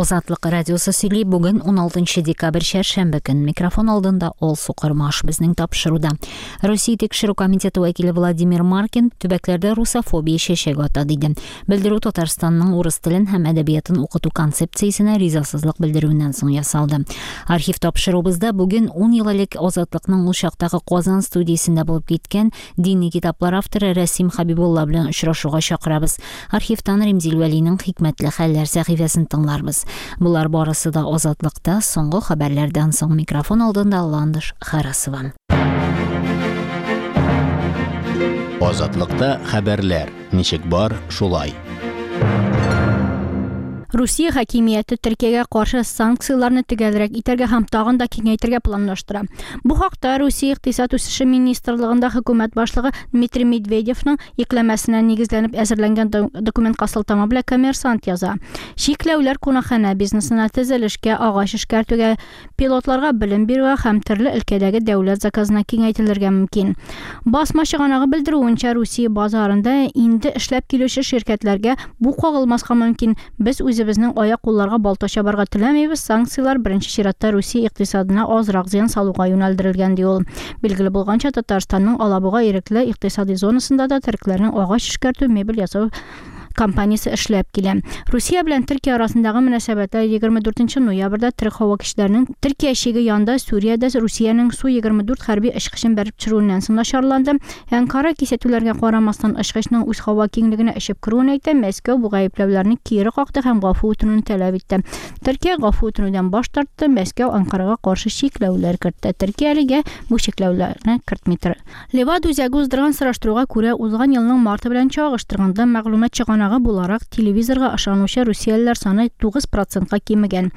Азатлык радиосы сөйли. Бүген 16 декабрь чәршәмбе көн. Микрофон алдында Алсу Кормаш безнең тапшыруда. Россия тикшерү комитеты вәкиле Владимир Маркин төбәкләрдә русофобия чәчәк ата диде. Белдерү Татарстанның урыс телен һәм әдәбиятын укыту концепциясенә ризасызлык белдерүеннән соң ясалды. Архив тапшыруыбызда бүген 10 ел элек Азатлыкның ул чактагы Казан студиясендә булып киткән Дини китаплар авторы Рәсим Хәбибулла белән очрашуга чакырабыз. Архивтан Римзил Вәлинең Хикмәтле хәлләр сәхифәсен тыңларбыз. Болар барысы да Азатлыкта соңгы хәбәрләрдән соң микрофон алдында Ландыш Харасова. Азатлыкта хәбәрләр ничек бар, шулай. Русия хакимияте Төркиягә каршы санкцияләрне төгәлрәк итәргә һәм тагын да киңәйтергә планлаштыра. Бу хакта Русия икътисад үсеше министрлыгында хөкүмәт башлыгы Дмитрий Медведевның йөкләмәсенә нигезләнеп әзерләнгән документка сылтама белән Коммерсант яза. Чикләүләр кунакханә бизнесына, төзелешкә, агач эшкәртүгә, пилотларга белем бирүгә һәм төрле өлкәдәге дәүләт заказына киңәйтелергә мөмкин. Басма чыганагы белдерүенчә, Русия базарында инде эшләп килүче ширкәтләргә бу кагылмаска мөмкин. Без үзебезнең аяк-кулларга балта чабарга теләмибез, санкцияләр беренче чиратта Русия икътисадына азрак зыян салуга юнәлдерелгән, ди ул. Билгеле булганча, Татарстанның Алабуга ирекле икътисади зонасында да төрекләрнең агач эшкәртү, мебель ясау компаниясе эшләп килә. Русия белән Төркия арасындагы мөнәсәбәтләр 24 ноябрьдә төрек һава көчләренең Төркия чиге янында Сүриядә Русиянең Су-24 хәрби очкычын бәреп төшерүеннән соң начарланды. Әнкара кисәтүләргә карамастан очкычның үз һава киңлегенә очып керүен әйтә, Мәскәү бу гаепләүләрне кире какты һәм гафу үтенүне таләп итте. Төркия гафу үтенүдән баш тартты, Мәскәү Әнкарага каршы чикләүләр кертте. Төркия әлегә бу чикләүләрне кертми тора. Левада үзәге уздырган сораштыруга күрә, узган елның марты белән чагыштырганда, мәгълүмат чыганагы буларак телевизорга ышанучы русиялеләр саны 9 процентка кимегән.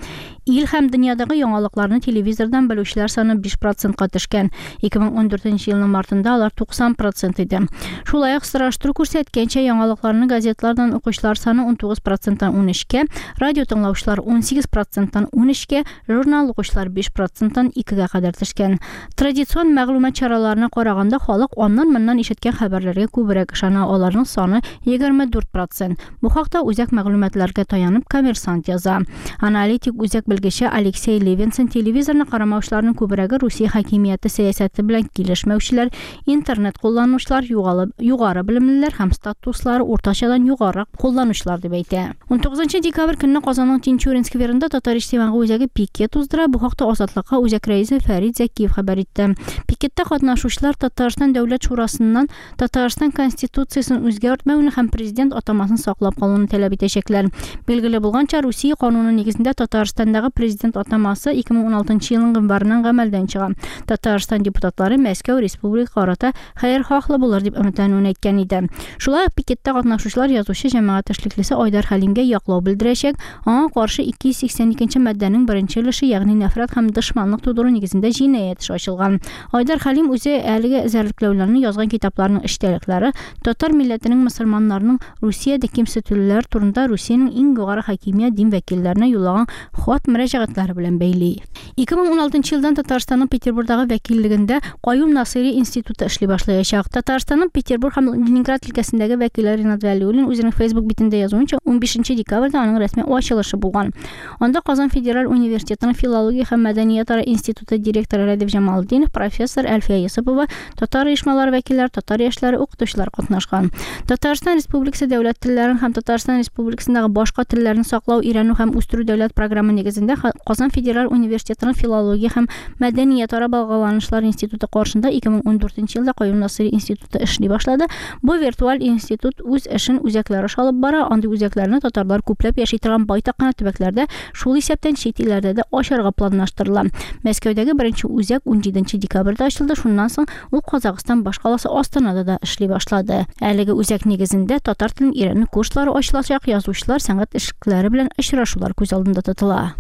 Ил һәм дөньядагы яңалыкларны телевизордан белүчеләр саны 5 процентка төшкән. 2014 елның мартында алар 90 процент иде. Шулай ук сораштыру күрсәткәнчә, яңалыкларны газетлардан укучылар саны 19 проценттан 13-кә, радио тыңлаучылар 18 проценттан 13-кә, журнал укучылар 5 проценттан 2-гә кадәр төшкән. Традицион мәгълүмат чараларына караганда, халык аннан-моннан ишеткән хәбәрләргә күбрәк ышана, аларның саны 24 процент. Бу хакта үзәк мәгълүматларга таянып Коммерсант яза. Аналитик үзәк белгече Алексей Левинсон телевизорны карамаучыларның күбрәге Русия хакимияте сәясәте белән килешмәүчеләр, интернет кулланучылар, югалы, югары белемлеләр һәм статуслары уртачадан югарырак кулланучылар дип әйтә. 19 декабрь көнне Казанның Тинчурин скверында Татар иҗтимагый үзәге пикет уздыра. Бу хакта Азатлыкка үзәк рәисе Фәрит Зәкиев хәбәр итте. Пикетта катнашучылар Татарстан Дәүләт шурасыннан Татарстан Конституциясен үзгәртмәүне һәм президент атамасын саклап калуны таләп итәчәкләр. Билгеле булганча, Русия кануны нигезендә Татарстандагы президент атамасы 2016 елның гыйнварыннан гамәлдән чыга. Татарстан депутатлары Мәскәү республика карата хәерхаһлы булыр дип өметләнүен әйткән иде. Шулай ук пикетта катнашучылар язучы җәмәгать эшлеклесе Айдар Хәлимгә яклау белдерәчәк, аңа каршы 282 нче маддәнең беренче өлеше, ягъни нәфрәт һәм дошманлык тудыру нигезендә җинаять эше ачылган. Айдар Хәлим үзе әлеге эзәрлекләүләрне язган китапларының эчтәлекләре татар милләтенең мөселманнарның Русиядә кимсетелүләре турында Русиянең иң югары хакимият дин вәкилләренә юллаган хат-мөрәҗәгатьләре белән бәйли. 2016 елдан Татарстанның Петербурдагы вәкиллегендә Каюм Насыйри институты эшли башлаячак. Татарстанның Петербург һәм Ленинград өлкәсендәге вәкиле Ринат Вәлиуллин үзенең Facebook битендә язуынча, 15 декабрьдә аның рәсми ачылышы булган. Анда Казан федераль университетының филология һәм мәдәниятара институты директоры Рәдиф Җамалетдинов, профессор Әлфия Йосыпова, татар оешмалары вәкилләре, татар яшьләре, укытучылар катнашкан. Татарстан Республикасы дәүләт телләрен һәм Татарстан Республикасындагы башка телләрне саклау, өйрәнү һәм үстерү дәүләт програмы нигезендә Казан федераль университетының филология һәм мәдәниятара багланышлар институты каршында 2014 елда Каюм Насыйри институты эшли башлады. Бу виртуаль институт үз эшен үзәкләр аша алып бара. Андый үзәкләрне татарлар күпләп яши торган байтак кына төбәкләрдә, шул исәптән чит илләрдә дә ачарга планлаштырыла. Мәскәүдәге беренче үзәк 17 декабрьдә ачылды, шуннан соң ул Казахстан башкаласы Астанада да эшли башлады. Әлеге үзәк нигезендә татар телен өйрәнү курслары ачылачак, язучылар, сәнгать эшлеклеләре белән очрашулар күз алдында тотыла.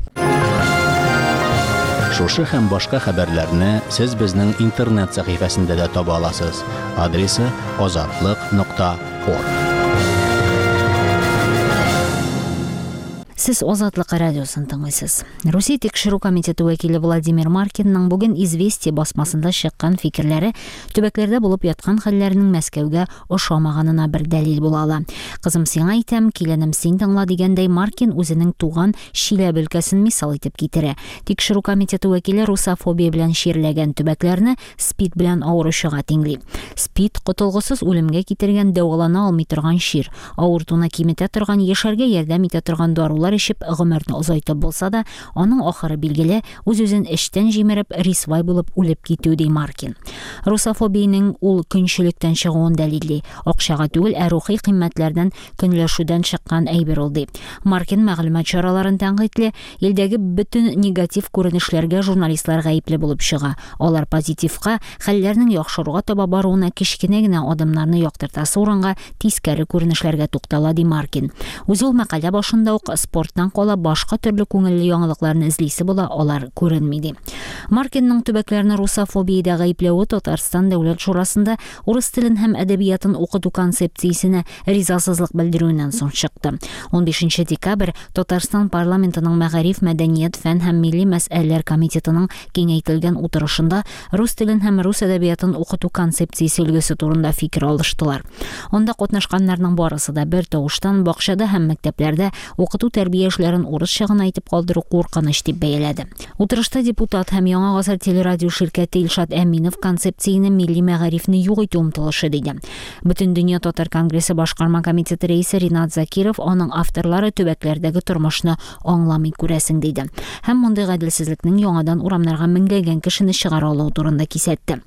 Шушы һәм башка хәбәрләрне сез безнең интернет сәхифәсендә дә таба аласыз. Адресы azatliq нокта орг. Сез Азатлык радиосын тыңлыйсыз. Русия тикшерү комитеты вәкиле Владимир Маркинның бүген Известия басмасында чыккан фикерләре төбәкләрдә булып яткан хәлләрнең Мәскәүгә ошамаганына бер дәлил була ала. Кызым сиңа әйтәм, киленем син тыңла дигәндәй Маркин үзенең туган Чиләбе өлкәсен мисал итеп китерә. Тикшерү комитеты вәкиле русофобия белән чирләгән төбәкләрне СПИД белән авыручыга тиңли. СПИД котылгысыз үлемгә китергән дәвалана алмый торган чир. Авыртуны киметә торган, яшәргә ярдәм итә торган дарулар эчеп гомерне озайтып булса да, аның ахыры билгеле, үз-үзен эчтән җимереп, рисвай булып үлеп китү, ди Маркин. Русофобиянең ул көнчелектән чыгуын дәлилли. Акчага түгел, ә рухи кыйммәтләрдән көнләшүдән чыккан әйбер ул, ди. Маркин мәгълүмат чараларын тәнкыйтьли, илдәге бөтен негатив күренешләргә журналистлар гаепле булып чыга. Алар позитивка, хәлләрнең яхшыруга таба баруына кечкенә генә адымнарны яктыртасы урынга тискәре күренешләргә туктала, ди Маркин. Үзе ул мәкалә башында ук спорттан кала башка төрле күңелле яңалыкларны эзлисе була, алар күренми, ди. Маркинның төбәкләрне русофобиядә гаепләве Татарстан Дәүләт шурасында урыс телен һәм әдәбиятын укыту концепциясенә ризасызлык белдерүеннән соң чыкты. 15 декабрь Татарстан парламентының мәгариф, мәдәният, фән һәм милли мәсьәләләр комитетының киңәйтелгән утырышында рус телен һәм рус әдәбиятын укыту концепциясе өлгесе турында фикер алыштылар. Анда катнашканнарның барысы да бер тавыштан бакчада һәм мәктәпләрдә укыту-тәрбия эшләрен урысча гына итеп калдыру куркыныч дип бәяләде. Утырышта депутат һәм Яңа гасыр телерадио ширкәте Илшат Әминов концепцияне милли мәгарифне юк итү омтылышы диде. Бөтендөнья татар конгрессы башкарма комитеты рәисе Ринат Закиров аның авторлары төбәкләрдәге тормышны аңламый күрәсең диде. Һәм мондый гаделсезлекнең яңадан урамнарга меңләгән кешене чыгара алуы турында кисәтте.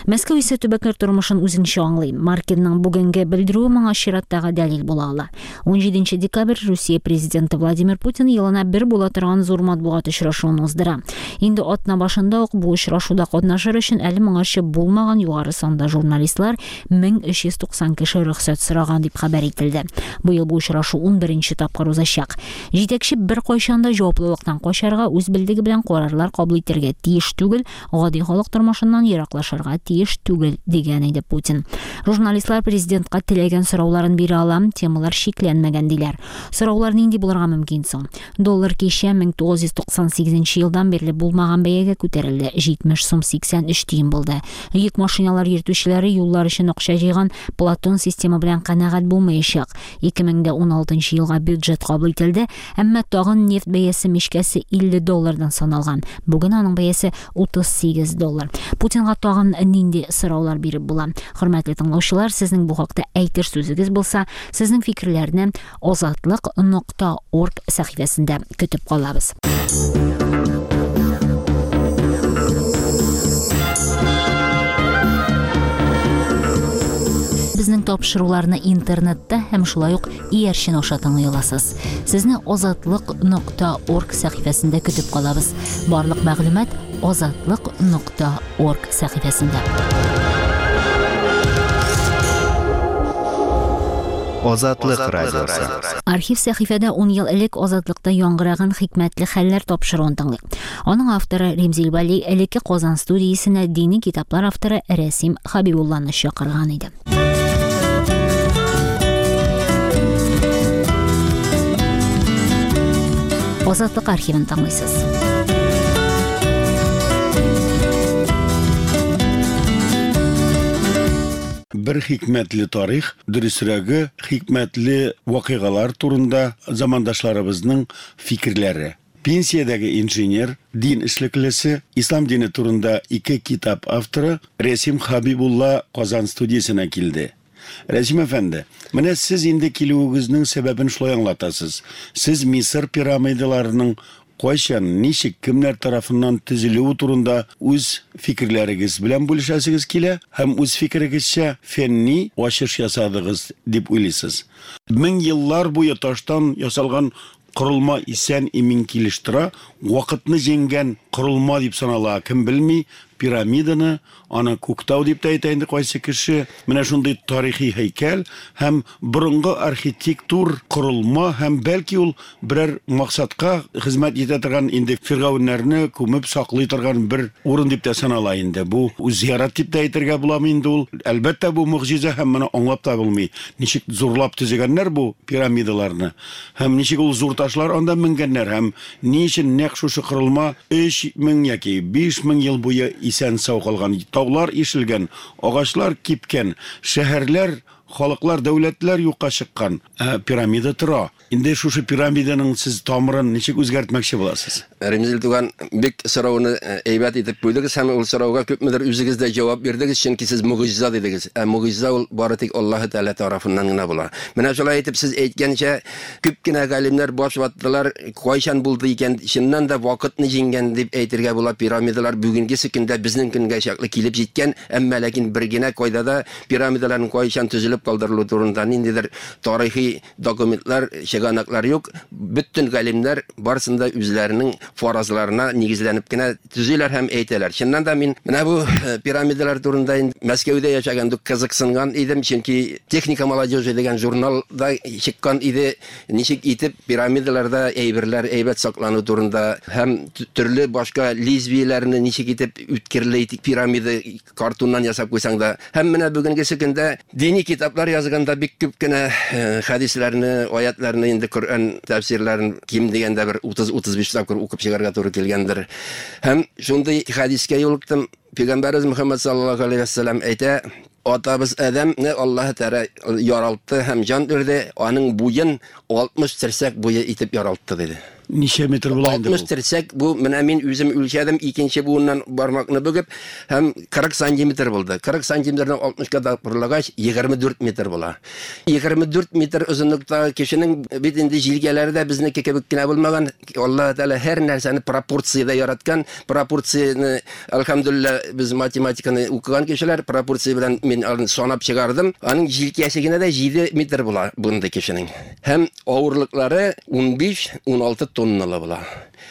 Мәскәү исә төбәкләр тормышын үзенчә аңлый. Маркинның бүгенге белдерүе моңа чираттагы дәлил була ала. 17 декабрь Русия президенты Владимир Путин елына бер була торган зур матбугат очрашуын уздыра. Инде атна башында ук бу очрашуда катнашыр өчен әле моңарчы булмаган югары санда журналистлар 1390 кеше рөхсәт сораган дип хәбәр ителде. Быел бу очрашу 11 тапкыр узачак. Җитәкче беркайчан да җаваплылыктан качарга, үз белдеге белән карарлар кабул итәргә тиеш түгел, гади халык тормышыннан ераклашырга тиеш түгел, дигән иде Путин. Журналистлар президентка теләгән сорауларын бирә ала, темалар чикләнмәгән диләр. Сораулар нинди булырга мөмкин соң? Доллар кичә 1998 елдан бирле булмаган бәягә күтәрелде, 70 сум 83 тиен булды. Йөк машиналар йөртүчеләре юллар өчен акча җыйган Платон система белән канәгать булмаячак. 2016 елга бюджет кабул ителде, әмма тагын нефть бәясе мичкәсе 50 доллардан саналган. Бүген аның бәясе 38 доллар. Путинга тагын нинди сораулар биреп була? Хөрмәтле тыңлаучылар, сезнең бу хакта әйтер сүзегез булса, сезнең фикерләрне азатлык.орг сәхифәсендә көтеп калабыз. Безнең тапшыруларны интернетта һәм шулай ук иярчен аша тыңлый аласыз. Сезне азатлык.орг сәхифәсендә көтеп калабыз. Барлык мәгълүмат азатлык.орг сәхифәсендә. Азатлык радиосы. Архив сәхифәдә 10 ел элек Азатлыкта яңгыраган хикмәтле хәлләр тапшыруын тыңлыйк. Аның авторы Римзил Вәли элекке Казан студиясенә дини китаплар авторы Рәсим Хабибулланы чакырган иде. Азатлык архивын тыңлыйсыз. Бер хикмәтле тарих, дөресрәге, хикмәтле вакыйгалар турында замандашларыбызның фикерләре. Пенсиядәге инженер, дин эшлеклесе, ислам дине турында ике китап авторы Рәсим Хабибулла Казан студиясенә килде. Рәсим әфәнде, менә сез инде килүегезнең сәбәбен шулай аңлатасыз. Сез Мисыр пирамидаларының кайчан, ничек, кемнәр тарафыннан төзелүе турында үз фикерләрегез белән бүлешәсегез килә һәм үз фикерегезчә фәнни ачыш ясадыгыз дип уйлыйсыз. Мең еллар буе таштан ясалган корылма исән имин килеш тора, вакытны җиңгән корылма дип санала, кем белми, пирамиданы, аны Күктау дип тә әйтә инде кайсы кеше. Менә шундый тарихи һәйкәл һәм борынгы архитектур корылма һәм бәлки ул берәр максатка хезмәт итә торган инде фиргавеннәрне күмеп саклый торган бер урын дип тә санала инде. Бу зиярат дип тә әйтергә буламы инде ул? Әлбәттә, бу могҗиза һәм моны аңлап та булмый. Ничек зурлап төзегәннәр бу пирамидаларны һәм ничек ул зур ташлар анда менгәннәр һәм ни өчен нәкъ шушы корылма 3000 яки 5000 ел буе исән-сау калган, таулар ишелгән, агачлар кипкән, шәһәрләр, халыклар, дәүләтләр юкка чыккан, ә пирамида тора. Инде шушы пирамиданың сез тамырын ничек үзгәртмәкче буласыз? Ремзил туган, бик сорауны әйбәт итеп куйдыгыз һәм ул сорауга күпмедер үзегез дә җавап бирдегез, чөнки сез могҗиза дидегез. Ә могҗиза ул бары тик Аллаһы Тәгалә тарафыннан гына була. Менә шулай итеп сез әйткәнчә, күп кенә галимнәр баш ваттылар, кайчан булды икән, чыннан да вакытны җиңгән дип әйтергә була, пирамидалар бүгенгесе көндә безнең көнгә чаклы килеп җиткән, әмма ләкин бер генә кайда да пирамидаларның кайчан төзелеп калдырылу турында ниндидер тарихи документлар, чыганаклар юк. Бөтен галимнәр барысын да үзләренең фаразларына нигезләнеп кенә төзиләр һәм әйтәләр. Чыннан да мин менә бу пирамидалар турында инде Мәскәүдә яшәгәндә кызыксынган идем, чөнки Техника молодежи дигән журналда чыккан иде, ничек итеп пирамидаларда әйберләр әйбәт саклану турында һәм төрле башка лезвиеләрне ничек итеп үткерле итеп пирамида картоннан ясап куйсаң да. Һәм менә бүгенгесе көндә дини китаплар язганда бик күп кенә хәдисләрне, аятларны инде Коръән тәфсирләрен ким дигәндә бер 30-35 тапкыр укып чыгарга туры килгәндер. Һәм шундый хәдискә юлыктым. Пәйгамбәребез Мөхәммәд саллаллаһу алейһи ва сәлләм әйтә, атабыз Адәмне Аллаһ Тәгалә яралтты һәм җан бирде, аның буен 60 терсәк буе итеп яралтты диде. Ничә метр була инде бу? 60 терсәк бу, менә мин үзем үлчәдем, икенче буыннан бармакны бөгеп, һәм 40 сантиметр булды. 40 сантиметрны 60-ка тапкырлагач, 24 метр була. 24 метр озынлыктагы кешенең бит инде җилкәләре дә безнеке кебек кенә булмаган. Аллаһ Тәгалә һәр нәрсәне пропорциядә яраткан. Пропорцияне, әлхәмдүлилләһ, без математиканы укыган кешеләр, пропорция белән мин аны санап чыгардым. Аның җилкәсе генә дә 7 метр була бундый кешенең. Һәм авырлыклары 15-16 тонналы була.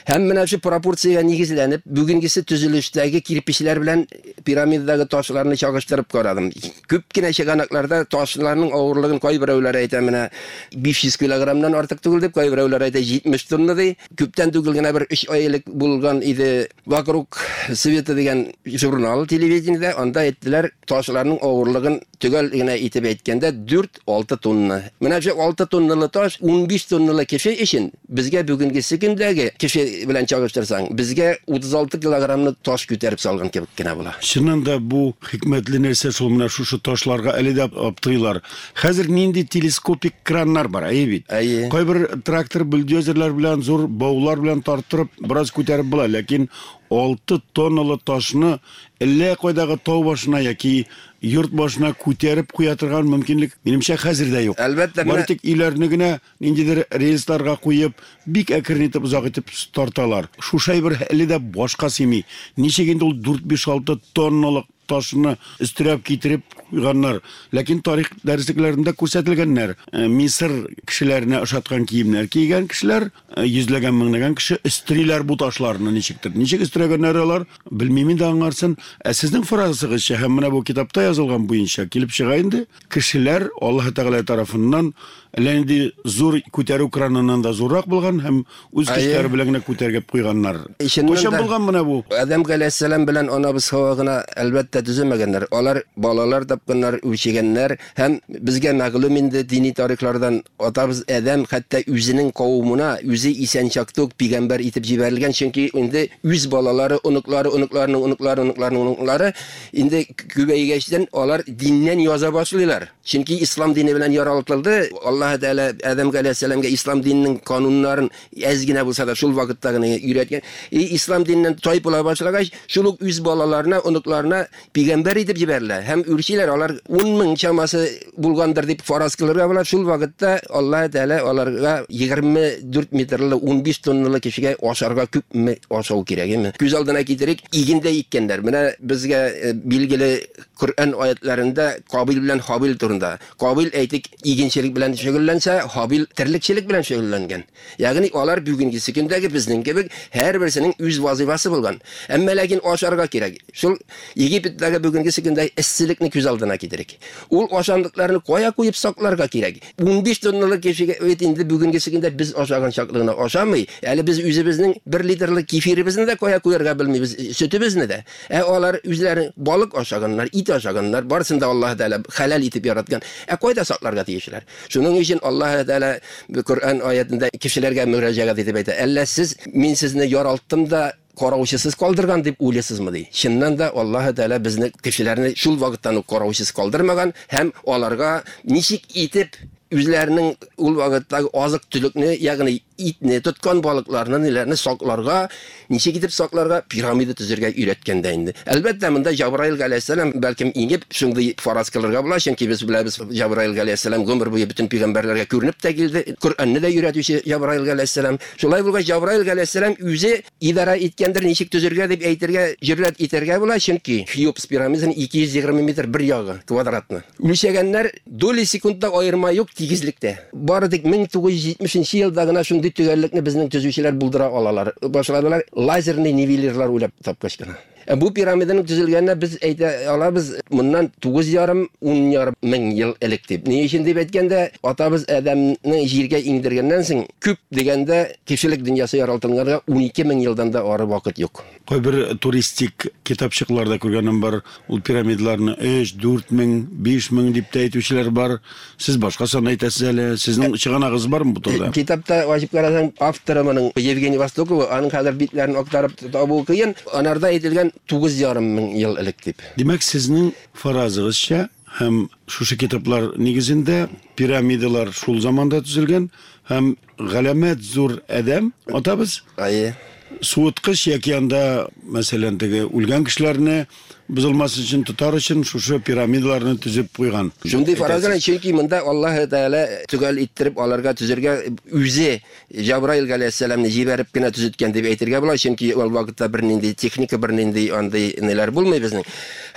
Һәм менә шул пропорциягә нигезләнеп, бүгенгесе төзелештәге кирпечләр белән пирамидадагы ташларны чагыштырып карадым. Күп кенә чыганакларда ташларның авырлыгын кайберәүләр әйтә, менә 500 килограммнан артык түгел дип, кайберәүләр әйтә 70 тонна ди. Күптән түгел генә бер 3 ай элек булган иде Вокруг света дигән журнал телевидениедә, анда әйттеләр, ташларның авырлыгын төгәл генә итеп әйткәндә 4-6 тонна. Менә шул 6 тонналы таш 15 тонналы кеше өчен безгә бүгенгесе көндәге кеше белән чагыштырсаң, безгә 36 килограммлы таш күтәреп салган кебек кенә була. Чыннан да бу хикмәтле нәрсә шул, менә шушы ташларга әле дә аптырыйлар. Хәзер нинди телескопик краннар бар, әйе бит? Әйе. Кайбер трактор бульдозерлар белән зур баулар белән тарттырып, бераз күтәреп була, ләкин 6 тонналы ташны әллә кайдагы тау башына яки йорт башына күтәреп куя торган мөмкинлек, минемчә, хәзер дә юк. Әлбәттә, Бары тик өйләрне генә ниндидер рельсларга куеп, бик әкрен итеп, озак итеп тарталар. Шушы әйбер әле дә башка сыймый. Ничек инде ул 4-5-6 тонналык ташны өстерәп китереп куйганнар. Ләкин тарих дәреслекләрендә күрсәтелгәннәр. Мисыр кешеләренә ошаткан киемнәр кигән кешеләр, йөзләгән, меңләгән кеше өстериләр бу ташларны ничектер. Ничек өстерәгәннәр алар, белмим инде аңарсын. Ә сезнең фразыгызча һәм менә бу китапта язылган буенча килеп чыга инде, кешеләр Аллаһ Тәгалә тарафыннан әллә нинди зур күтәрү краныннан да зуррак булган һәм үз көчләре белән генә күтәргеп куйганнар. Кайчан булган менә бу? Адәм галәйһиссәлам белән анабыз Һава гына, әлбәттә, төземәгәннәр. Алар балалар тапканнар, үрчегәннәр һәм безгә мәгълүм инде дини тарихлардан, атабыз Адәм хәтта үзенең кавымына үзе исән чакта ук пигамбәр итеп җибәрелгән, чөнки инде үз балалары, оныклары, оныкларының оныклары, оныкларының оныклары инде күбәйгәчтен алар диннән яза башлыйлар. Чөнки ислам дине белән яралтылды. Аллаһ Тәгалә Адәм галәйһиссәламгә ислам диненең кануннарын әз генә булса да шул вакытта гына өйрәткән. И ислам диненнән тайпыла башлагач, шул ук үз балаларына, оныкларына пигамбәр итеп җибәрелә һәм үрчиләр. Алар 10 мең чамасы булгандыр дип фараз кылырга була. Шул вакытта Аллаһ Тәгалә аларга 24 метрлы 15 тонналы кешегә ашарга күпме ашау кирәк, әйме? Күз алдына китерик, игендә иккәннәр. Менә безгә билгеле Коръән аятларында Кабил белән Хабил турында. Кабил, әйтик, игенчелек белән шөгыльләнсә, Хабил терлекчелек белән шөгыльләнгән. Ягъни алар бүгенгесе көндәге безнең кебек һәрберсенең үз вазифасы булган. Әмма ләкин ашарга кирәк. Шул Египеттәге бүгенгесе көндә эсселекне күз алдына китерик. Ул ашамлыкларны кая куеп сакларга кирәк? 15 тонналы кешегә бит инде бүгенгесе көндә без ашаган чаклы гына ашамый. Әле без үзебезнең 1 литрлы кефиребезне дә кая куярга белмибез, сөтебезне дә. Ә алар үзләре балык ашаганнар, ит ашаганнар, барысын да Аллаһ Тәгалә хәләл итеп яраткан. Ә кайда сакларга тиешләр? Шуның өчен Аллаһ Тәгалә Коръән аятында кешеләргә мөрәҗәгать итеп әйтә: "Әллә сез мин сезне яралттым да караучысыз калдырган дип уйлыйсызмы?" ди. Чыннан да Аллаһ Тәгалә безне кешеләрне шул вакыттан ук караучысыз калдырмаган һәм аларга ничек итеп үзләренең ул вакыттагы азык-төлекне, ягъни итне, тоткан балыкларны, ниләрне сакларга, ничек итеп сакларга, пирамида төзергә өйрәткән дә инде. Әлбәттә, монда Җабраил галәйһиссәлам бәлкем иңеп шундый фараз кылырга була, чөнки без беләбез, Җабраил галәйһиссәлам гомер буе бөтен пәйгамбәрләргә күренеп тә килде, Коръәнне дә өйрәтүче Җабраил галәйһиссәлам. Шулай булгач, Җабраил галәйһиссәлам үзе идарә иткәндер, ничек төзергә дип әйтергә җөрьәт итәргә була, чөнки Хеопс пирамидасын 220 метр бер ягы квадратны үлчәгәннәр, доли секундта аерма юк тигезлектә. Бары тик 1970 елда гына шундый төгәллекне безнең төзүчеләр булдыра алалар. Башладылар лазерный нивелирлар уйлап тапкач кына. Ә бу пирамиданың төзелгәненә без әйтә алабыз моннан 9,5-10,5 мең ел элек дип. Ни өчен дип әйткәндә, атабыз Адәмне җиргә иңдергәннән соң, күп дигәндә кешелек дөньясы яралтылганга 12 мең елдан да ары вакыт юк. Кайбер туристик китапчыкларда күргәнем бар, ул пирамидаларны 3, 4 мең, 5 мең дип тә әйтүчеләр бар. Сез башка сан әйтәсез әле. Сезнең чыганагыгыз бармы бу турыда? Китапта ачып карасаң, авторы моның Евгений Востокова, аның хәзер битләрен актарып табу кыен. Анарда әйтелгән 9,5 мең ел элек дип. Димәк, сезнең фаразыгызча һәм шушы китаплар нигезендә пирамидалар шул заманда төзелгән һәм галәмәт зур адәм атабыз. Әйе. Суыткыч яки анда, мәсәлән, теге үлгән кешеләрне бозылмас өчен тотар өчен шушы пирамидаларны төзеп куйган. Шундый фараз белән, чөнки монда Аллаһ Тәгалә төгәл иттереп аларга төзергә үзе Җабраил галәйһиссәламне җибәреп кенә төзеткән дип әйтергә була, чөнки ул вакытта бернинди техника, бернинди андый ниләр булмый безнең.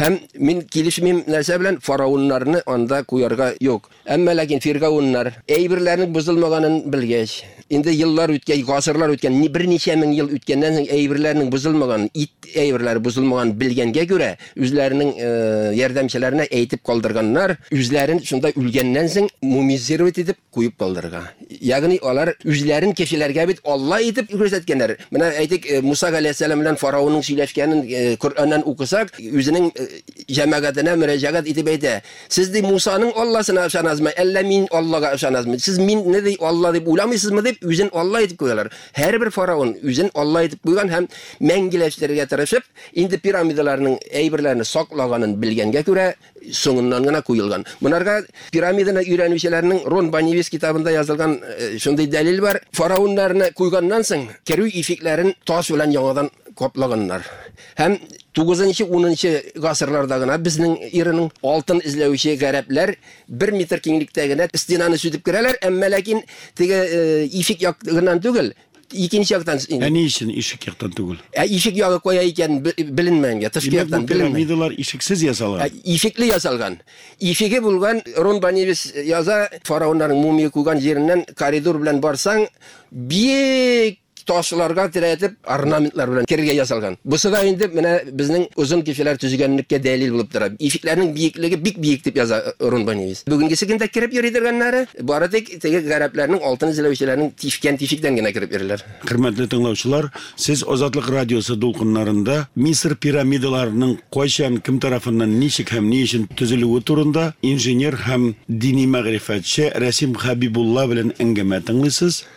Һәм мин килешмим нәрсә белән, фараоннарны анда куярга юк. Әмма ләкин фиргауннар әйберләрнең бозылмаганын белгәч, инде еллар үткән, гасырлар үткән, берничә мең ел үткәннән соң әйберләрнең бозылмаганын, ит әйберләре бозылмаганын белгәнгә күрә, үзләренең ярдәмчеләренә әйтеп калдырганнар, үзләрен шунда үлгәннән соң мумизировать итеп куеп калдырырга. Ягъни алар үзләрен кешеләргә бит Алла итеп күрсәткәннәр. Менә әйтик, Муса галәйһиссәлам белән фараонның сөйләшкәнен Коръәннән укысак, үзенең җәмәгатенә мөрәҗәгать итеп әйтә. Сез ди Мусаның Алласына ышанасызмы, әллә мин Аллага ышанасызмы? Сез мине ди Алла дип уйламыйсызмы дип үзен Алла итеп куялар. Һәрбер фараон үзен Алла итеп куйган һәм мәңгеләштерергә тырышып, инде пирамидаларның әйберләрне саклаганын белгәнгә күрә, соңыннан гына куелган. Монарга пирамиданы өйрәнүчеләрнең Рон Банивис китабында язылган шундый дәлил бар. Фараоннарны куйганнан соң, керү ишекләрен таш белән яңадан каплаганнар. Һәм 9-10 гасырларда гына безнең эраның алтын эзләүче гарәпләр 1 метр киңлектә генә стенаны сүтеп керәләр, әмма ләкин теге ишек ягыннан түгел, икенче яктан. Ә ни өчен ишек яктан түгел? Ә ишек ягы кая икән беленмәгән, тышкы яктан беленмәгән. Пирамидалар ишексез ясалган. Ишекле ясалган. Ишеге булган, Рон Банивис яза, фараоннарның мумия куйган җиреннән коридор белән барсаң, бик ташларга терәтеп орнаментлар белән керергә ясалган. Бусы да инде менә безнең озын кешеләр төзегәнлеккә дәлил булып тора. Ишекләрнең биеклеге бик биек дип яза Рон Банивис. Бүгенгесе көндә кереп йөри торганнары бары тик теге гарәпләрнең алтын эзләүчеләрнең тишкән тишектән генә кереп йөриләр. Хөрмәтле тыңлаучылар, сез Азатлык радиосы дулкыннарында Мисыр пирамидаларының кайчан, кем тарафыннан, ничек һәм ни өчен төзелүе турында инженер һәм дини мәгърифәтче Рәсим Хәбибулла белән әңгәмә тыңлыйсыз.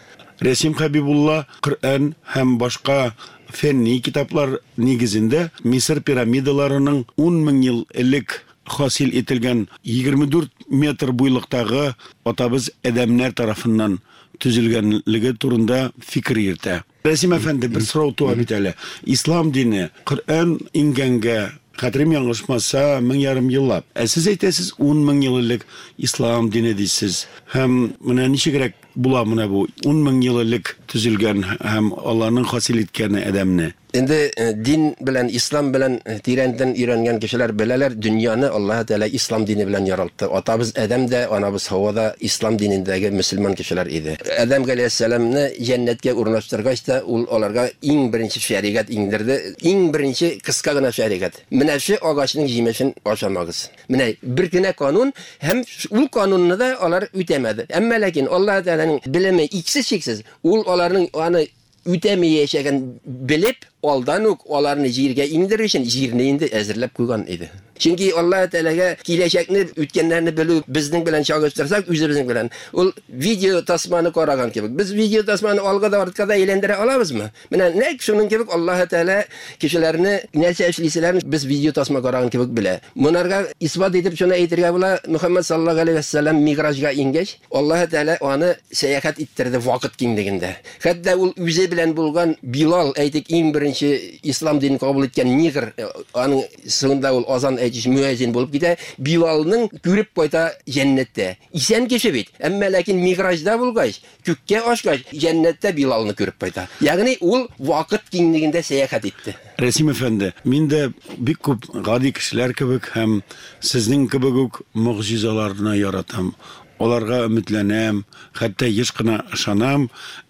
Рәсим Хәбибулла Коръән һәм башка фәнни китаплар нигезендә Мисыр пирамидаларының 10 мең ел элек хасил ителгән 24 метр буйлыктагы атабыз Адәмнәр тарафыннан төзелгәнлеге турында фикер йөртә. Рәсим әфәнде, бер сорау туа бит әле. Ислам дине Коръән иңгәнгә Хәтерем ялгышмаса, 1500 еллап. Ә сез әйтәсез, 10 мең ел элек ислам дине дисез. Һәм менә ничегрәк була менә бу 10 мең ел элек төзелгән һәм Алланың хасил иткәне адәмне? Инде дин белән, ислам белән тирәнтен өйрәнгән кешеләр беләләр, дөньяны Аллаһ Тәгалә ислам дине белән яралтты. Атабыз Адәм дә, анабыз Һава да ислам динендәге мөселман кешеләр иде. Адәм галәйһиссәламны җәннәткә урнаштыргач та, ул аларга иң беренче шәригать иңдерде. Иң беренче кыска гына шәригать. Менә шу агачның җимешен ашамагыз. Менә бер генә канун һәм ул канунны да алар үтәмәде. Әмма ләкин Аллаһ Тәгаләнең белеме иксез-чиксез. Ул аларның аны үтәмәячәген белеп, алдан ук аларны җиргә иңдерер өчен җирне инде әзерләп куйган иде. Чөнки Аллаһ Тәгаләгә киләчәкне, үткәннәрне белү безнең белән чагыштырсак, үзебезнең белән ул видео тасманы караган кебек. Без видео тасманы алга да артка да әйләндерә алабызмы? Менә нәкъ шуның кебек Аллаһ Тәгалә кешеләрне нәрсә эшлиселәрен без видео тасма караган кебек белә. Монарга исбат итеп шуны әйтергә була, Мөхәммәд саллаллаһу алейһи ва сәлләм миграҗга иңгәч, Аллаһ Тәгалә аны сәяхәт иттерде вакыт киңлегендә. Хәтта ул үзе белән булган Билал, әйтик, иң беренче ислам динен кабул иткән негр, аның соңында ул азан әйтүче мөәзин булып китә, Билалның күреп кайта җәннәттә. Исән кеше бит, әмма ләкин миграҗда булгач, күккә ашкач, җәннәттә Билалны күреп кайта. Ягъни ул вакыт киңлегендә сәяхәт итте. Рәсим әфәнде, мин дә бик күп гади кешеләр кебек һәм сезнең кебек үк могҗизаларны яратам. Аларга өметләнәм, хәтта еш кына ышанам.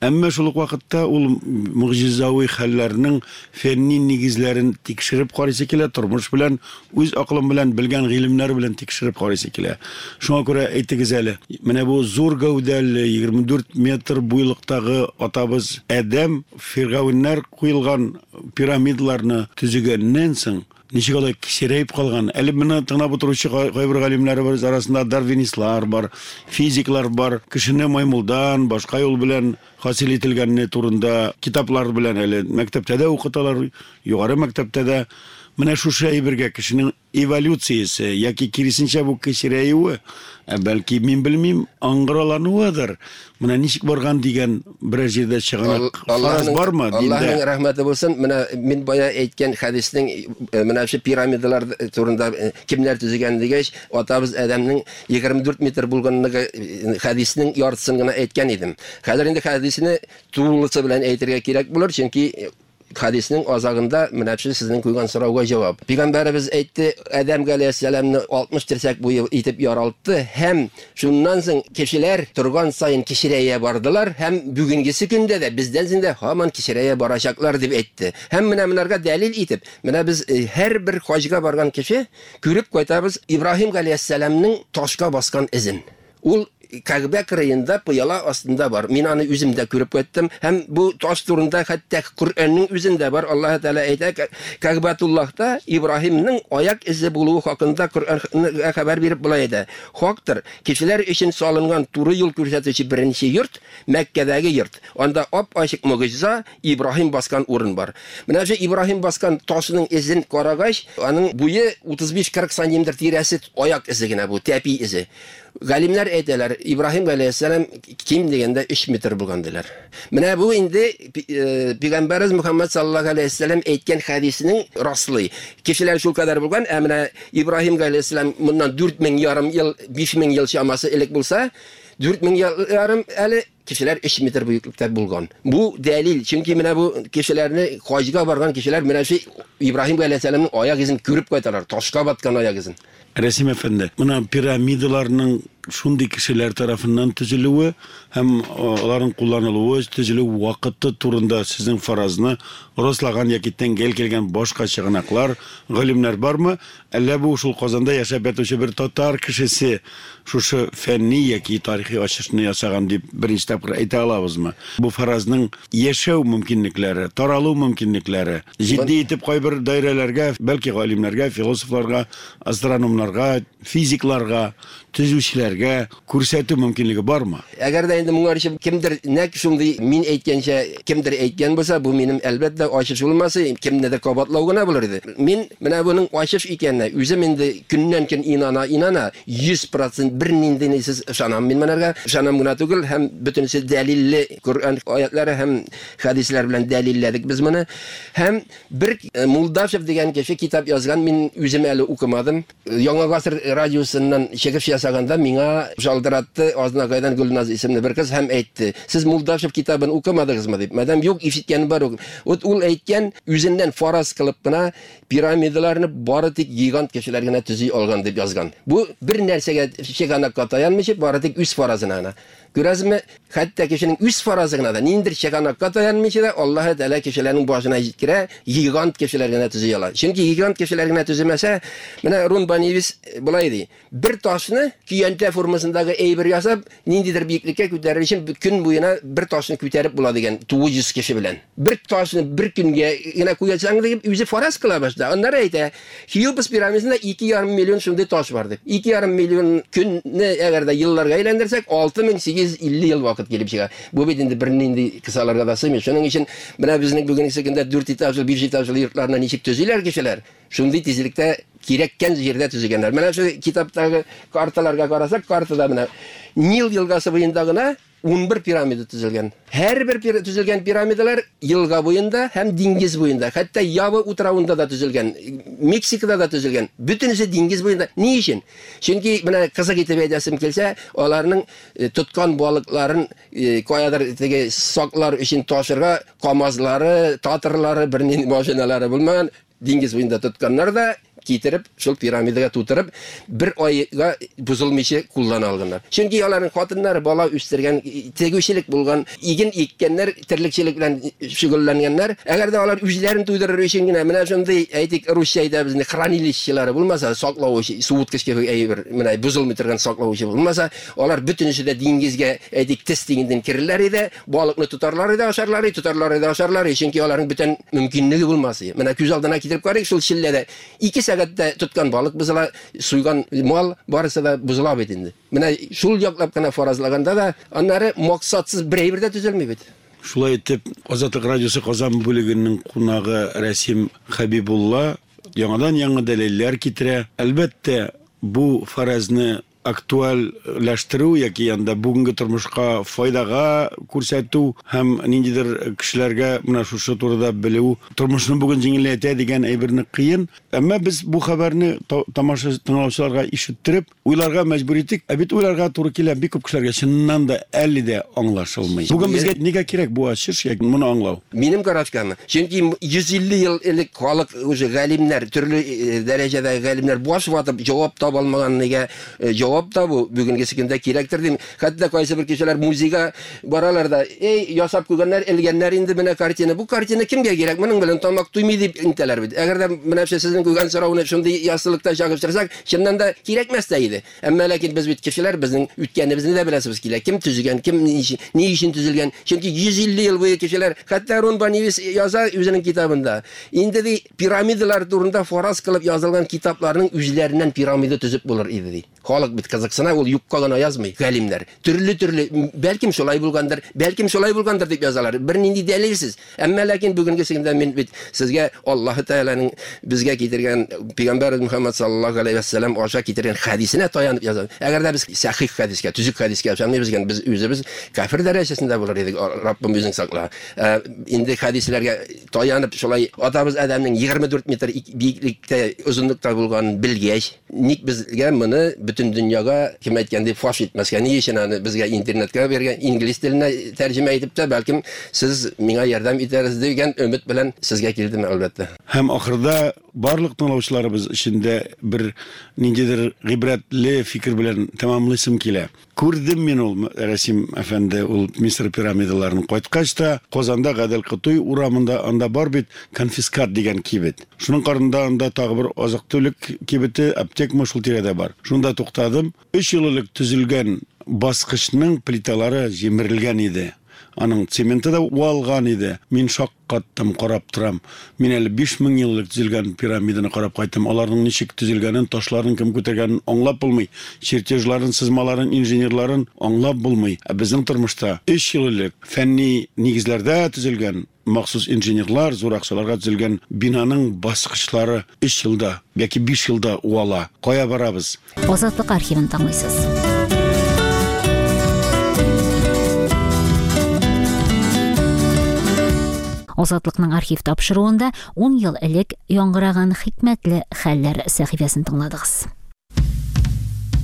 Әмма шул ук вакытта ул могҗизави хәлләрнең фәнни нигезләрен тикшереп карыйсы килә, тормыш белән, үз акылым белән, белгән гыйлемнәр белән тикшереп карыйсы килә. Шуңа күрә әйтегез әле, менә бу зур гәүдәле, 24 метр буйлыктагы атабыз Адәм фиргавеннәр куелган пирамидаларны төзегәннән соң ничек алай кечерәеп калган? Әле моны тыңлап утыручы кайбер галимнәребез арасында дарвинистлар бар, физиклар бар. Кешене маймылдан башка юл белән хасил ителгәнне турында китаплар белән әле мәктәптә дә укыталар, югары мәктәптә дә. Менә шушы әйбергә кешенең эволюциясе яки киресенчә бу кечерәюе, ә бәлки мин белмим, аңгыралануыдыр. Менә ничек барган дигән берәр җирдә чыганак фараз бармы диндә? Аллаһның рәхмәте булсын. Менә мин бая әйткән хәдиснең менә шу пирамидалар турында кемнәр төзегән дигәч, атабыз Адәмнең 24 метр булганлыгы хәдиснең яртысын гына әйткән идем. Хәзер инде хәдисне тулысы белән әйтергә кирәк булыр, чөнки хәдиснең азагында менә шу сезнең куйган сорауга җавап. Пәйгамбәребез әйтте, Адәм галәйһиссәламны 60 терсәк буе итеп яралтты һәм шуннан соң кешеләр торган саен кечерәя бардылар һәм бүгенгесе көндә дә бездән соң да һаман кечерәя барачаклар дип әйтте. Һәм менә монарга дәлил итеп, менә без һәрбер хаҗга барган кеше күреп кайтабыз Ибраһим галәйһиссәламның ташка баскан эзен. Ул Кәгъбә кырыенда пыяла астында бар. Мин аны үзем дә күреп кайттым. Һәм бу таш турында хәтта Коръәннең үзендә бар. Аллаһ Тәгалә әйтә, Кәгъбәтуллаһта Ибраһимның аяк эзе булуы хакында Коръән хәбәр биреп болай әйтә. Хактыр, кешеләр өчен салынган туры юл күрсәтүче беренче йорт Мәккәдәге йорт. Анда ап-ачык могҗиза Ибраһим баскан урын бар. Менә шу Ибраһим баскан ташның эзен карагач, аның буе 35-40 сантиметр тирәсе аяк эзе генә бу, тәпи эзе. Галимнәр әйтәләр, Ибраһим галәйһиссәлам ким дигәндә 3 метр булган диләр. Менә бу инде Пәйгамбәребез Мөхәммәд саллаллаһу алейһи вәсәлләм әйткән хәдиснең раслый. Кешеләр шул кадәр булган, ә менә Ибраһим галәйһиссәлам моннан 4000 ярым ел, 5000 ел чамасы элек булса, 4000 ел ярым әле кешеләр 3 метр буеклыкта булган. Бу дәлил, чөнки менә бу кешеләрне хаҗга барган кешеләр менә шу Ибраһим галәйһиссәламның аяк изен күреп кайталар, ташка баткан аяк изен. Рәсим әфәнде, менә пирамидаларның шундый кешеләр тарафыннан төзелүе һәм аларның кулланылуы, төзелү вакыты турында сезнең фаразны раслаган яки тәңгәл килгән башка чыганаклар, галимнәр бармы? Әллә бу шул Казанда яшәп ятучы бер татар кешесе шушы фәнни яки тарихи ачышны ясаган дип беренче тапкыр әйтә алабызмы? Бу фаразның яшәү мөмкинлекләре, таралу мөмкинлекләре җитди итеп кайбер даирәләргә, бәлки галимнәргә, философларга, астрономнарга, физикларга, төзүчеләргә күрсәтү мөмкинлеге бармы? Әгәр дә инде моңарчы кемдер нәкъ шундый мин әйткәнчә кемдер әйткән булса, бу минем әлбәттә ачыш булмас, кемнедер кабатлау гына булыр иде. Мин менә буның ачыш икәненә үзем инде көннән көн инана, инана 100% бер нинди нисез ышанам. Мин монарга ышанам гына түгел һәм бөтен Бөтенесе дәлилле Коръән аятлары һәм хәдисләр белән дәлилләдек без моны. Һәм бер Мулдашев дигән кеше китап язган, мин үзем әле укымадым. Яңа гасыр радиосыннан чыгыш ясаганда миңа шалтыратты Азнакайдан Гөлназ исемле бер кыз һәм әйтте: "Сез Мулдашев китабын укымадыгызмы?" дип. Мәдәм юк, ишеткән бар. Вот ул әйткән, үзеннән фараз кылып кына пирамидаларны бары тик гигант кешеләр генә төзи алган дип язган. Бу бер нәрсәгә чыганакка таянмыйча, бары тик үз фаразына гына. Күрәсезме, хәтта кешенең үз фаразы гына да, ниндидер чыганакка таянмыйча да, Аллаһы Тәгалә кешеләрнең башына җиткерә, гигант кешеләр генә төзи ала. Чөнки гигант кешеләр генә төземәсә, менә Рун Банивис болай ди: бер ташны көянтә формасындагы әйбер ясап, ниндидер биеклеккә күтәрер өчен көн буена бер ташны күтәреп була дигән 900 кеше белән. Бер ташны бер көнгә генә куясаң дип үзе фараз кыла башта. Аннары әйтә, Хиопс пирамидасында 2,5 миллион шундый таш бар дип. 2,5 миллион көнне әгәр дә елларга әйләндерсәк, 6850 ел вакыт килеп чыга. Бу бит инде бернинди кысаларга да сыймый. Шуның өчен менә безнең бүгенге көндә 4 этажлы, 5 этажлы йортларны ничек төзиләр кешеләр? Шундый тизлектә кирәккән җирдә төзегәннәр. Менә шу китаптагы карталарга карасак, картада менә Нил елгасы буенда гына 11 пирамида төзелгән. Һәрбер төзелгән пирамидалар елга буенда һәм диңгез буенда, хәтта Ява утравында да төзелгән, Мексикада да төзелгән. Бөтенесе диңгез буенда. Ни өчен? Чөнки менә кызык итеп әйтәсем килсә, аларның тоткан балыкларын каядыр теге саклар өчен ташырга КАМАЗлары, Татрлары, бернинди машиналары булмаган. Диңгез буенда тотканнар да китереп, шул пирамидага тутырып, бер айга бозылмыйча куллана алганнар. Чөнки аларның хатыннары бала үстергән, тегүчелек булган, иген иккәннәр, терлекчелек белән шөгыльләнгәннәр. Әгәр дә алар үзләрен туйдырыр өчен генә менә шундый, әйтик, русча әйтәбез инде, хранилищелары булмаса, саклау өчен, суыткыч кебек әйбер, менә бозылмый торган саклау өчен булмаса, алар бөтенесе дә диңгезгә, әйтик, тез тигендән керерләр иде, Балыкны тотарлар иде, ашарлар иде, тотарлар иде, ашарлар иде, чөнки аларның бүтән мөмкинлеге булмас иде. Менә күз алдына китереп карыйк, шул челләдә 2 сәгатьтә тоткан балык бозыла, суйган мал, барысы да бозыла бит инде. Менә шул яклап кына фаразлаганда да, аннары максатсыз бер әйбер дә төзелми бит. Шулай итеп, Азатлык радиосы Казан бүлегенең кунагы Рәсим Хәбибулла яңадан-яңа дәлилләр китерә. Әлбәттә, бу фаразны актуальләштерү яки анда бүгенге тормышка файдага күрсәтү һәм ниндидер кешеләргә менә шушы турыда белү тормышны бүген җиңеләйтә дигән әйберне кыен. Әмма без бу хәбәрне тамаша тыңлаучыларга ишеттереп, уйларга мәҗбүр иттек. Ә бит уйларга туры килә бик күп кешеләргә чыннан да әле дә аңлашылмый. Бүген безгә нигә кирәк бу ачыш яки моны аңлау? Минем карашкамы? Чөнки 150 ел элек халык уже галимнәр, төрле дәрәҗәдәге галимнәр баш ватып җавап таба алмаган нигә җавап табу бүгенгесе көндә кирәктер дим. Хәтта кайсы бер кешеләр музейга баралар да, эй, ясап куйганнар, элгәннәр инде менә картина. Бу картина кемгә кирәк? Моның белән тамак туймый дип әйтәләр бит. Әгәр дә менә сезнең куйган сорауны шундый яссылыкта чагыштырсак, чыннан да кирәкмәс тә иде. Әмма ләкин без бит кешеләр, безнең үткәнебезне дә беләсебез килә. Кем төзегән, кем ни өчен, ни өчен төзелгән? Чөнки 150 ел буе кешеләр, хәтта Рон Банивис яза үзенең китабында. Инде ди, пирамидалар турында фараз кылып язылган китапларның үзләреннән пирамида төзеп булыр иде ди. Халык бит кызыксына, ул юкка гына язмый, галимнәр. Төрле-төрле, бәлкем шулай булгандыр, бәлкем шулай булгандыр дип язалар. Бернинди дәлилсез. Әмма ләкин бүгенге көндә мин бит сезгә Аллаһы Тәгаләнең безгә китергән пәйгамбәребез Мөхәммәд саллаллаһу алейһи вәссәлам аша китергән хәдисенә таянып язам. Әгәр дә без сәхих хәдискә, төзек хәдискә ышанмыйбыз икән, без үзебез кафир дәрәҗәсендә булыр идек. Раббым үзең сакла. Ә, инде хәдисләргә таянып шулай атабыз Адәмнең 24 метр биеклектә, озынлыкта булганын белгәч, Ник безгә моны бөтен дөньяга, кем әйткәндәй, фаш итмәскә? Ни өчен аны безгә интернетка биргән, инглиз теленә тәрҗемә итеп тә, бәлкем, сез миңа ярдәм итәрсез дигән өмет белән сезгә килдем, әлбәттә. Һәм ахырда барлык тыңлаучыларыбыз өчен дә бер ниндидер гыйбрәтле фикер белән тәмамлыйсым килә. Күрдем мин ул, Рәсим әфәнде, ул Мисыр пирамидаларын. Кайткач та, Казанда Гадел Кутуй урамында анда бар бит Конфискат дигән кибет. Шуның карында анда тагы бер азык-төлек кибете, аптекмы шул тирәдә бар. Шунда туктадым. Өч ел элек төзелгән баскычның плиталары җимерелгән иде. Аның цементы да уалган иде. Мин шаккаттым, карап торам. Мин әле 5000 ел элек төзелгән пирамиданы карап кайттым. Аларның ничек төзелгәнен, ташларын кем күтәргәнен аңлап булмый. Чертежларын, сызмаларын, инженерларын аңлап булмый. Ә безнең тормышта өч ел элек фәнни нигезләрдә төзелгән, махсус инженерлар зур акчаларга төзелгән бинаның баскычлары өч елда яки биш елда уала. Кая барабыз? Азатлык архивын тыңлыйсыз. Азатлыкның архив тапшыруында 10 ел элек яңгыраган хикмәтле хәлләр сәхифәсен тыңладыгыз.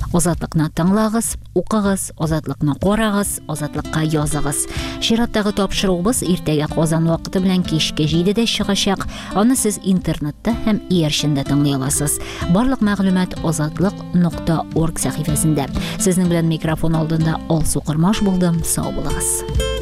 Азатлыкны тыңлагыз, укыгыз, Азатлыкны карагыз, Азатлыкка языгыз. Чираттагы тапшыруыбыз иртәгә Казан вакыты белән кичке 7-дә чыгачак. Аны сез интернетта һәм иярчендә тыңлый аласыз. Барлык мәгълүмат азатлык.орг сәхифәсендә. Сезнең белән микрофон алдында Алсу Кормаш булдым. Сау булыгыз.